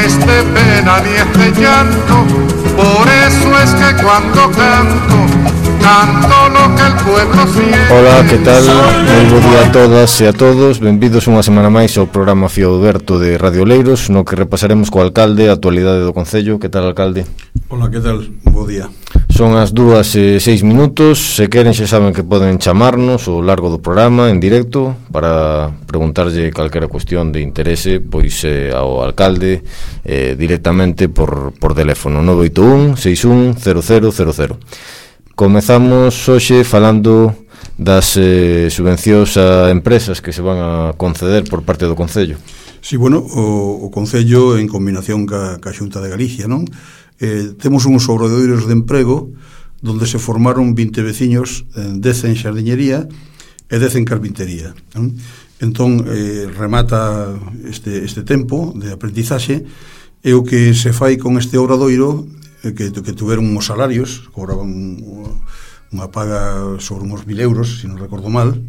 es de pena ni es de llanto, por eso es que cuando canto, canto lo que el pueblo siente. Hola, que tal? Moi bo día a todas e a todos. Benvidos unha semana máis ao programa Fío Aberto de Radio Oleiros, no que repasaremos co alcalde a actualidade do concello. Que tal, alcalde? Hola, que tal? Bo día. Son as 2:06. Se queren xa saben que poden chamarnos ao largo do programa en directo para preguntarlle calquera cuestión de interese pois ao alcalde directamente por teléfono 981 61 0000. Comezamos hoxe falando das subvencións a empresas que se van a conceder por parte do Concello. Sí, bueno, o Concello en combinación ca Xunta de Galicia, non? Temos uns obradoiros de emprego donde se formaron 20 veciños, 10 en xardiñería e 10 en carpintería, non? Entón, remata este tempo de aprendizaxe e o que se fai con este obradoiro que tuveron uns salarios, cobraban unha paga sobre uns 1.000 euros, se non recordo mal,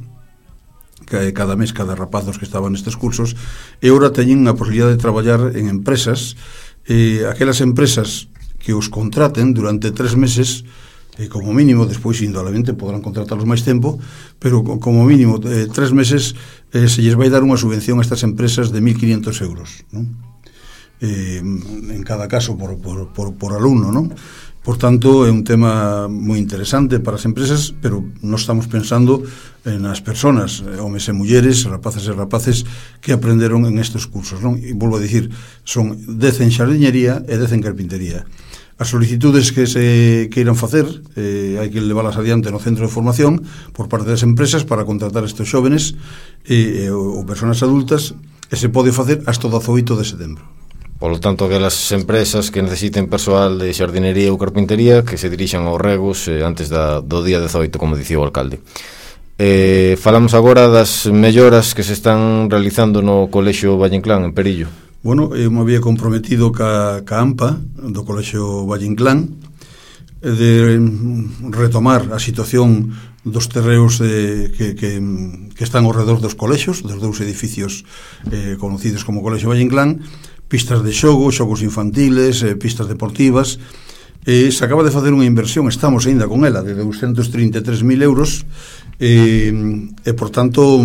cada mes, cada rapazos que estaban nestes cursos, e agora teñen a posibilidade de traballar en empresas, aquelas empresas que os contraten durante 3 meses, como mínimo, despois indudablemente podrán contratarlos máis tempo, pero como mínimo 3 meses se lles vai dar unha subvención a estas empresas de 1.500 euros, non? En cada caso por alumno, non? Por tanto, é un tema moi interesante para as empresas, pero nós estamos pensando nas persoas, homes e mulleres, rapaces e rapaces que aprenderon en estes cursos, non? E volvo a dicir, son 10 en xardiñería e 10 en carpintería. As solicitudes que se queiran facer hai que leválas adiante no centro de formación por parte das empresas para contratar estes xóvenes ou persoas adultas, e se pode facer hasta o 18 de setembro. Polo tanto, aquelas empresas que necesiten persoal de xardinería ou carpintería que se dirixan aos regos antes do día 18, como dicía o alcalde. Falamos agora das melloras que se están realizando no Colexio Valle Inclán, en Perillo. Bueno, eu me había comprometido ca AMPA do Colexio Valle Inclán de retomar a situación dos terreos que están ao redor dos colexios, dos dous edificios conocidos como Colexio Valle Inclán, pistas de xogo, xogos infantiles, pistas deportivas. Se acaba de facer unha inversión, estamos aínda con ela, de 233.000 euros, e por tanto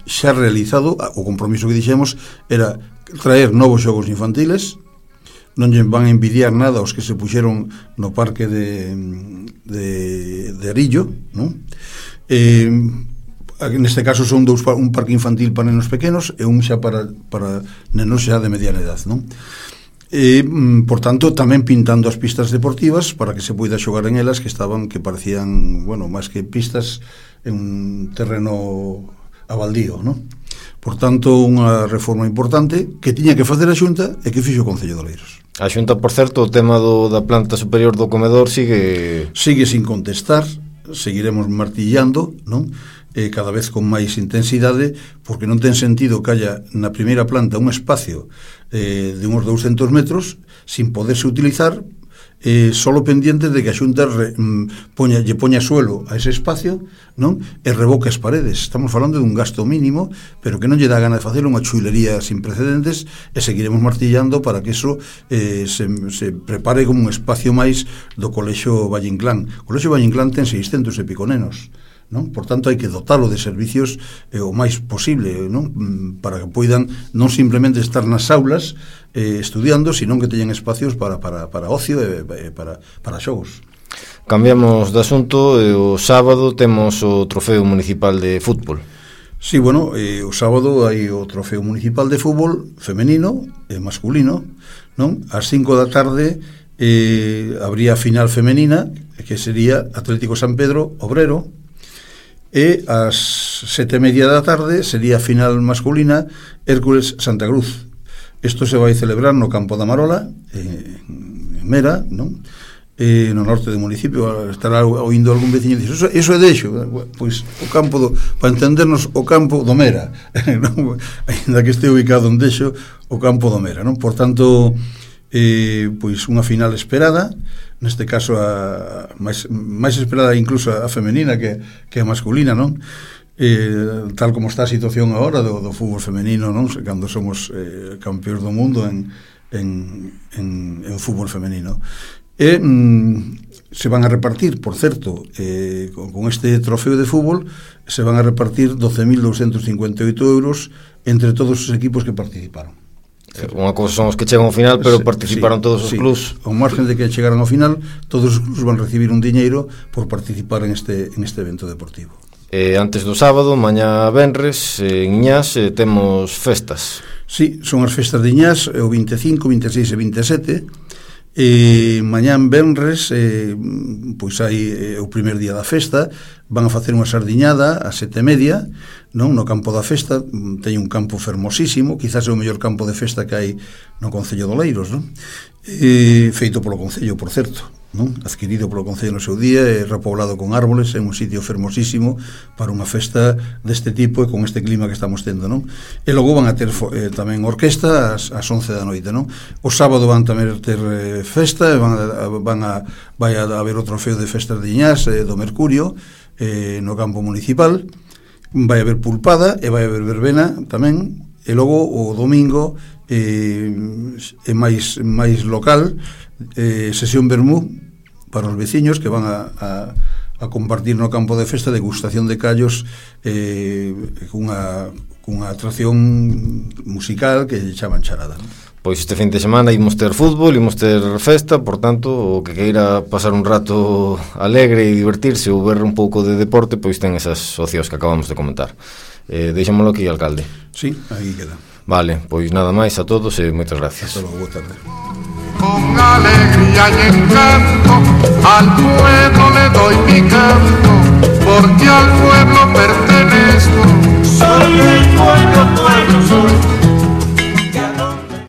xa realizado. O compromiso que dixemos era traer novos xogos infantiles, non lle van a envidiar nada os que se puxeron no parque de Arillo, non? Neste caso son un parque infantil para nenos pequenos e un xa para nenos xa de mediana edad, non? E, por tanto, tamén pintando as pistas deportivas para que se poida xogar en elas, que parecían, bueno, máis que pistas en un terreno a baldío, non? Por tanto, unha reforma importante que tiña que facer a Xunta e que fixo o Concello de Oleiros. A Xunta, por certo, o tema da planta superior do comedor sigue sin contestar, seguiremos martillando, non? Cada vez con máis intensidade, porque non ten sentido que haya na primeira planta un espacio de uns 200 metros sin poderse utilizar, solo pendiente de que a Xunta lle poña suelo a ese espacio, non? E revoque as paredes. Estamos falando de un gasto mínimo, pero que non lle dá gana de facer unha chulería sin precedentes, e seguiremos martillando para que eso se prepare como un espacio máis do Colexio Valle Inclán. O Colexio Valle Inclán ten 600 e pico nenos, non? Por tanto, hai que dotalo de servicios o máis posible, non? Para que poidan non simplemente estar nas aulas estudiando, sino que teñan espacios para ocio e para xogos. Cambiamos de asunto. O sábado temos o trofeo municipal de fútbol. Sí, bueno, o sábado hai o trofeo municipal de fútbol femenino e masculino, non? Ás 5 da tarde habría a final femenina, que sería Atlético San Pedro Obrero, e ás 7:30 da tarde sería a final masculina Hércules Santa Cruz. Isto se vai celebrar no Campo da Marola, en Mera, non? No norte do municipio. Estará oindo algún veciño e dice, eso é deixo. Pois o campo para entendernos, o campo do Mera, non? Ainda que este ubicado en Deixo, o campo do Mera, non? Por tanto, pois unha final esperada, neste caso a máis esperada incluso a femenina que a masculina, non? Tal como está a situación agora do fútbol femenino, non? Cando somos campeóns do mundo en en fútbol femenino. E se van a repartir, por certo, con este trofeo de fútbol, se van a repartir 12.258 euros entre todos os equipos que participaron. Unha cousa son os que chegan ao final, pero participaron todos os clubs. Ao margen de que chegaran ao final, todos os clubs van recibir un diñeiro por participar en este evento deportivo. Antes do sábado, mañá venres, en Iñás temos festas. Sí, son as festas de Iñás, o 25, 26 e 27. Mañá en venres, pois hai o primer día da festa, van a facer unha sardiñada a 7:30, non, no campo da festa. Teñen un campo fermosísimo, quizás é o mellor campo de festa que hai no Concello de Oleiros, non? Feito polo Concello, por certo, non? Adquirido polo Concello no seu día e repoblado con árboles, é un sitio fermosísimo para unha festa deste tipo e con este clima que estamos tendo, non? E logo van a ter tamén orquesta ás 11 da noite, non? O sábado van tamén ter festa e vai a haber o trofeo de festas de Iñás do Mercurio no campo municipal. Vai haber pulpada e vai haber verbena tamén, e logo o domingo é máis local, sesión vermú para os veciños que van a compartir no campo de festa degustación de callos cunha atracción musical que chaman charada, non? Pois este fin de semana imos ter fútbol, imos ter festa, por tanto, o que queira pasar un rato alegre e divertirse ou ver un pouco de deporte, pois ten esas opcións que acabamos de comentar. Deixámoslo aquí, alcalde. Sí, aí queda. Vale, pois nada máis a todos e moitas gracias. Hasta logo, boa tarde. Con alegría y encanto al pueblo le doy mi canto, porque al pueblo